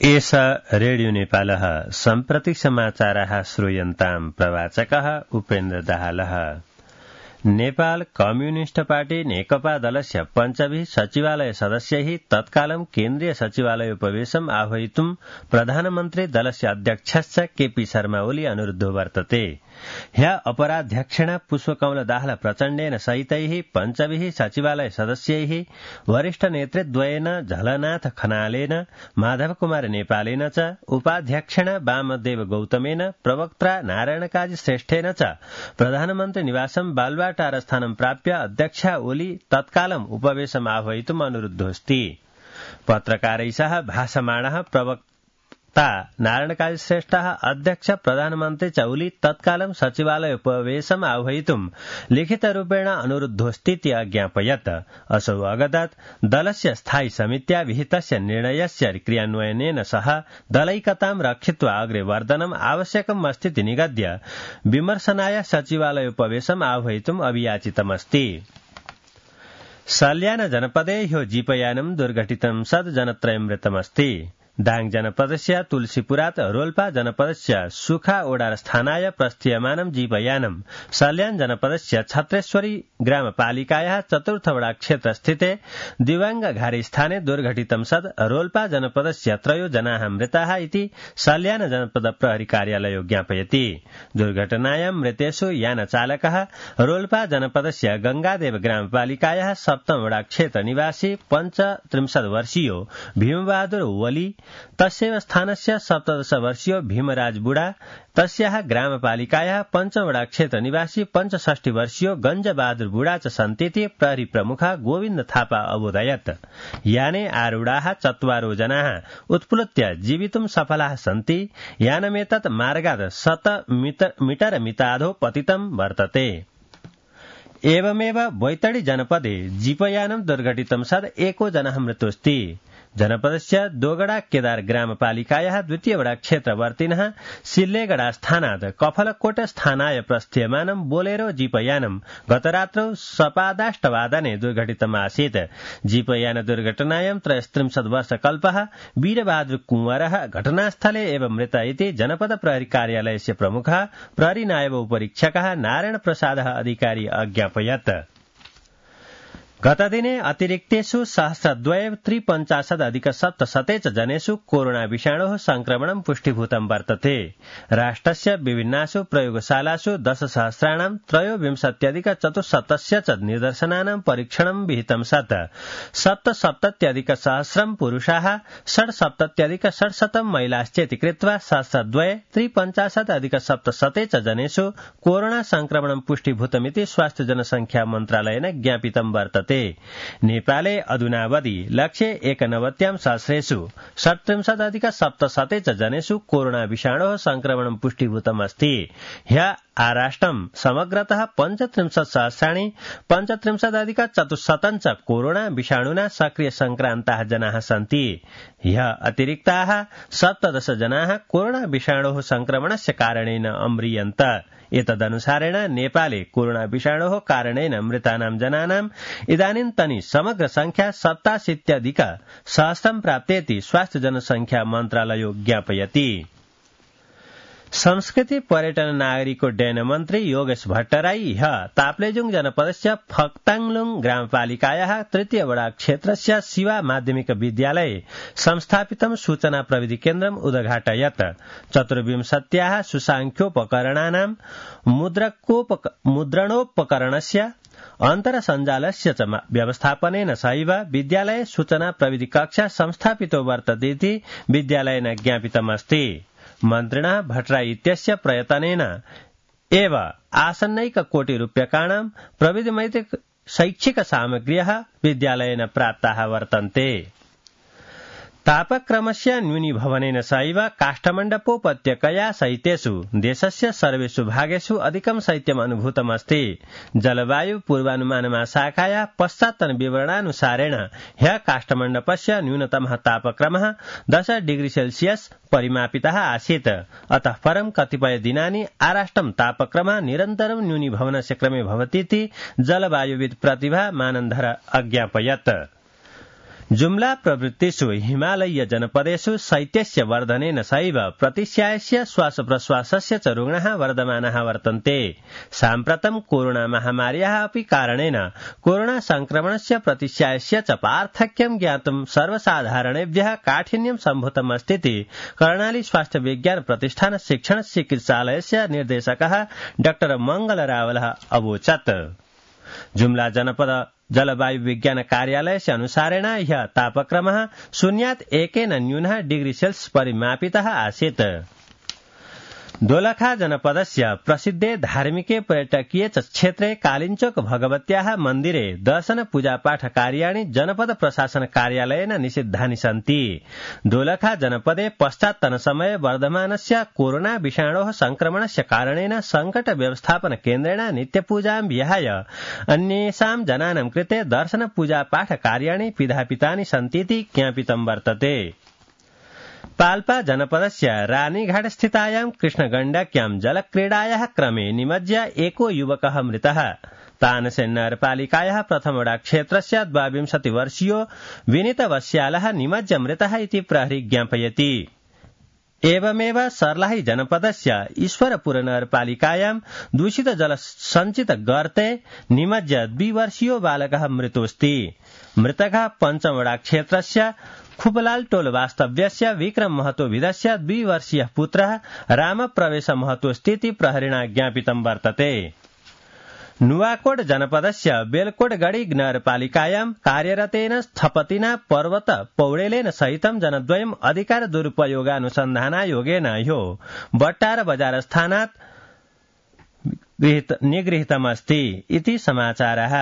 एष रेडियो नेपालः सम्प्रति समाचाराः श्रूयन्ताम् प्रवाचकः उपेन्द्र दाहालः। नेपाल कम्युनिस्ट पार्टी नेकपा दलस्य पञ्चभिः सचिवालय सदस्यैः तत्कालं केन्द्रीय सचिवालय उपवेशम् आह्वयितुं प्रधानमन्त्री दलस्य अध्यक्षश्च केपी शर्मा ओली अनुरुद्धो वर्तते। ह्य अपराध्यक्षेण पुष्पकमल दाहाल प्रचण्डेन सहितैः पञ्चभिः सचिवालय सदस्यैः वरिष्ठ नेतृद्वयेन झलनाथ खनालेन माधव कुमार नेपालेन च उपाध्यक्षेण वामदेव गौतमेन प्रवक्ता नारायण काजी श्रेष्ठेन च प्रधानमन्त्री निवासं बालुवाटार स्थानं प्राप्य अध्यक्षा ओली तत्कालम् उपवेशम् आह्वयितुम् अनुरुद्धोऽस्ति। पत्रकारैः सह भाषमाणः प्रवक्ता नारायण काजी श्रेष्ठः अध्यक्ष प्रधानमन्त्री च ओली तत्कालं सचिवालय उपवेशम् आह्वयितुम् लिखितरूपेण अनुरुद्धोऽस्तीति अज्ञापयत्। असौ अगदत् दलस्य स्थायी समित्या विहितस्य निर्णयस्य क्रियान्वयनेन सह दलैकतां रक्षित्वा अग्रे वर्धनम् आवश्यकम् अस्तीति निगद्य विमर्शनाय सचिवालय उपवेशम् आह्वयितुम् अभियाचितमस्ति। सल्यान जनपदे ह्यो जीपयानं दुर्घटितं सद् जनत्रयं मृतमस्ति। दाङ जनपदस्य तुलसीपुरात् रोल्पा जनपदस्य सुखा ओडार स्थानाय प्रस्थीयमानं जीपयानं सल्यान जनपदस्य छत्रेश्वरी ग्रामपालिकायाः चतुर्थ वडा क्षेत्रस्थिते दिवांग घारी स्थाने दुर्घटितं सद् रोल्पा जनपदस्य 3 जनाः मृताः इति सल्यान जनपद प्रहरी कार्यालयो ज्ञापयति। दुर्घटनायां मृतेषु यानचालकः रोल्पा जनपदस्य गंगादेव ग्रामपालिकायाः 7 वडा क्षेत्र निवासी 35 वर्षीयो भीमबहादुर ओली, तस्यैव स्थानस्य 17 वर्षीयो भीमराज बुढा, तस्याः ग्रामपालिकायाः 5 वडा क्षेत्र निवासी 65 वर्षीयो गंजबहादुर बुढा च सन्तीति प्रहरी प्रमुख गोविन्द थापा अबोधयत्। याने आरूढाः 4 जनाः उत्प्लुत्य जीवितुं सफलाः सन्ति। यानमेतत् मार्गात् 100 मीटर मिताधो पतितं वर्तते। एवमेव बैतडी जनपदे जीपयानं दुर्घटितं सद् 1 जनः मृतोऽस्ति। जनपदस्य दोगडा केदार ग्रामपालिकायाः 2 वडा क्षेत्रवर्तिनः सिल्लेगडा स्थानात् कफलकोट स्थानाय प्रस्थीयमानं बोलेरो जीपयानं गतरात्रौ सपादाष्टवादने दुर्घटितम् आसीत्। जीपयान दुर्घटनायां 33 वर्षकल्पः वीरबहादुर कुंवरः घटनास्थले एव मृत इति जनपद प्रहरी कार्यालयस्य प्रमुखः प्रहरी नायब उपरीक्षकः नारायण प्रसादः अधिकारी अज्ञापयत्। गतदिने अतिरिक्तेषु 1253 च जनेषु कोरोना विषाणोः संक्रमणं पुष्टिभूतं वर्तते। राष्ट्रस्य विभिन्नासु प्रयोगशालासु 10,000,23,400 च निदर्शनानां परीक्षणं विहितं सत् 77,100 पुरुषाः 67,600 महिलाश्चेति कृत्वा 7,253,700 च जनेषु कोरोना संक्रमणं पुष्टिभूतमिति स्वास्थ्य जनसंख्या मन्त्रालयेन ज्ञापितं वर्तते। नेपाले अधुनावधि 191,000 37,700 च जनेषु कोरोना विषाणोः संक्रमणं पुष्टिभूतमस्ति। ह्य आराष्ट्रं समग्रतः 35,35,400 च कोरोना विषाणुना सक्रिय संक्रान्ताः जनाः सन्ति। ह्य अतिरिक्ताः 17 जनाः कोरोना विषाणोः संक्रमणस्य कारणेन अम्रियन्त। एतदनुसारेण नेपाले कोरोना विषाणोः कारणेन मृतानां जनानां इदानीन्तनी समग्र संख्या 87,100 प्राप्तेति स्वास्थ्य जनसंख्या मन्त्रालयो ज्ञापयति। संस्कृति पर्यटन नागरिकोड्डयन मन्त्री योगेश भट्टराई ह्य ताप्लेजुङ जनपदस्य फक्ताङलुङ ग्रामपालिकायाः 3 वडा क्षेत्रस्य शिवा माध्यमिक विद्यालये संस्थापितं सूचना प्रविधि केन्द्रम् उद्घाटयत्। 24 सुसाङ्ख्योपकरणानां मुद्रणोपकरणस्य अन्तरसञ्जालस्य च व्यवस्थापनेन सहैव विद्यालये सूचना प्रविधि कक्षा संस्थापितो वर्तते विद्यालयेन ज्ञापितमस्ति। मन्त्रिणः भट्टराई इत्यस्य प्रयत्नेन एव आसन्नैककोटिरूप्यकाणां प्रविधिमैत्रिक शैक्षिक सामग्र्यः विद्यालयेन प्राप्ताः वर्तन्ते। तापक्रमस्य न्यूनीभवनेन सहैव काष्ठमण्डपोपत्यकया सहितेषु देशस्य सर्वेषु भागेषु अधिकं शैत्यम् अनुभूतमस्ति। जलवायु पूर्वानुमान महाशाखाया पश्चात्तन विवरणानुसारेण ह्य काष्ठमण्डपस्य न्यूनतमः तापक्रमः 10 डिग्री सेल्सियस परिमापितः आसीत्। अतः परं कतिपय दिनानि आराष्ट्रं तापक्रमः निरन्तरं न्यूनीभवनस्य क्रमे भवतीति जलवायुविद् प्रतिभा मानन्धर अज्ञापयत्। जुम्ला प्रवृत्तिषु हिमालयीय जनपदेषु शैत्यस्य वर्धनेन सैव प्रतिस्यायस्य श्वासप्रश्वासस्य च रुग्णाः वर्धमानाः वर्तन्ते। साम्प्रतं कोरोना महामार्याः अपि कारणेन कोरोना संक्रमणस्य प्रतिस्यायस्य च पार्थक्यं ज्ञातुं सर्वसाधारणेभ्यः काठिन्यं सम्भूतमस्तीति कर्णाली स्वास्थ्य विज्ञान प्रतिष्ठान शिक्षण चिकित्सालयस्य निर्देशकः डॉ मंगलरावलः अवोचत्। जुम्ला जनपद जलवायु विज्ञान कार्यालयस्य अनुसारेण ह्यः तापक्रमः 0.1 न्यूनः डिग्री सेल्सियस् परिमापितः आसीत्। दोलखा जनपदस्य प्रसिद्धे धार्मिके पर्यटकीय च क्षेत्रे कालिञ्चोक भगवत्याः मन्दिरे दर्शन पूजापाठ कार्याणि जनपद प्रशासन कार्यालयेन निषिद्धानि सन्ति। दोलखा जनपदे पश्चात्तनसमये वर्धमानस्य कोरोना विषाणोः संक्रमणस्य कारणेन संकट व्यवस्थापन केन्द्रेण नित्यपूजां विहाय अन्येषां जनानां कृते दर्शन पूजापाठ कार्याणि पिधापितानि सन्तीति ज्ञापितं वर्तते। पाल्पा जनपदस्य रानीघाट स्थितायां कृष्णगण्डक्यां जलक्रीडायाः क्रमे निमज्ज्य एको युवकः मृतः। तानसेन नगरपालिकायाः प्रथमवडा क्षेत्रस्य 22 वर्षीयो विनीत वस्यालः निमज्ज्य मृतः इति प्रहरी ज्ञापयति। एवमेव सर्लाही जनपदस्य ईश्वरपुर नगरपालिकायां दूषित जल संचित गर्ते निमज्ज्य 2 वर्षीयो बालकः मृतोऽस्ति। मृतकः पञ्चमवडा क्षेत्रस्य खुपलाल टोल वास्तव्यस्य विक्रम महतो विधस्य 2 वर्षीयः पुत्रः रामप्रवेश महतोऽस्तीति प्रहरिणा ज्ञापितं वर्तते। नुवाकोट जनपदस्य बेलकोटगढी नगरपालिकायां कार्यरतेन स्थपतिना पर्वत पौडेलेन सहितं जनद्वयम् अधिकार दुरुपयोगानुसन्धानायोगेन ह्यो बट्टार बजार स्थानात् निगृहीतमस्ति इति समाचारः।